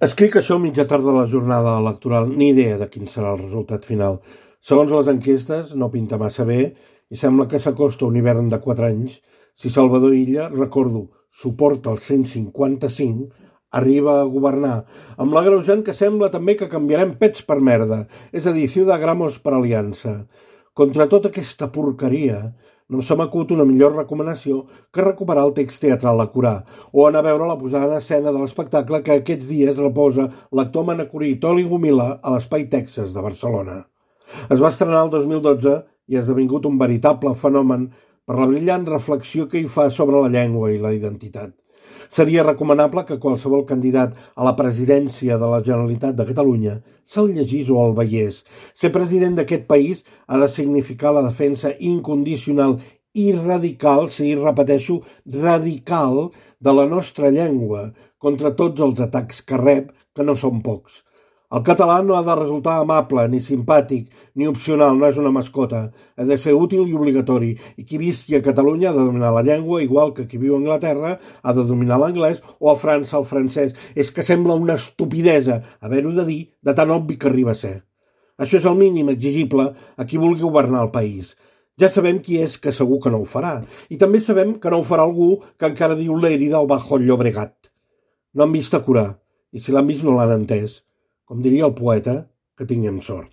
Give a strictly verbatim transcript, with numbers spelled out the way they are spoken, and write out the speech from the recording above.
Escric això a mitja tarda de la jornada electoral, ni idea de quin serà el resultat final. Segons les enquestes, no pinta massa bé i sembla que s'acosta un hivern de quatre anys. Si Salvador Illa, recordo, suporta el cent cinquanta-cinc, arriba a governar, amb l'agreujant que sembla també que canviarem pets per merda, és a dir, ciudagramos per aliança. Contra tota aquesta porqueria, no se m'acut una millor recomanació que recuperar el text teatral a Corà o anar a veure la posada en escena de l'espectacle que aquests dies reposa l'actor manacorí Toni Gomila a l'Espai Texas de Barcelona. Es va estrenar el dos mil dotze i ha esdevingut un veritable fenomen per la brillant reflexió que hi fa sobre la llengua i la identitat. Seria recomanable que qualsevol candidat a la presidència de la Generalitat de Catalunya se'l llegís o el veiés. Ser president d'aquest país ha de significar la defensa incondicional i radical, sí, repeteixo, radical, de la nostra llengua contra tots els atacs que rep, que no són pocs. El català no ha de resultar amable, ni simpàtic, ni opcional, no és una mascota. Ha de ser útil i obligatori. I qui visqui a Catalunya ha de dominar la llengua, igual que qui viu a Anglaterra ha de dominar l'anglès o a França el francès. És que sembla una estupidesa haver-ho de dir de tan obvi que arriba a ser. Això és el mínim exigible a qui vulgui governar el país. Ja sabem qui és que segur que no ho farà. I també sabem que no ho farà algú que encara diu Lérida o Bajo el Llobregat. No han vist a Corà, i si l'han vist no l'han entès. Com diria el poeta, que tinguem sort.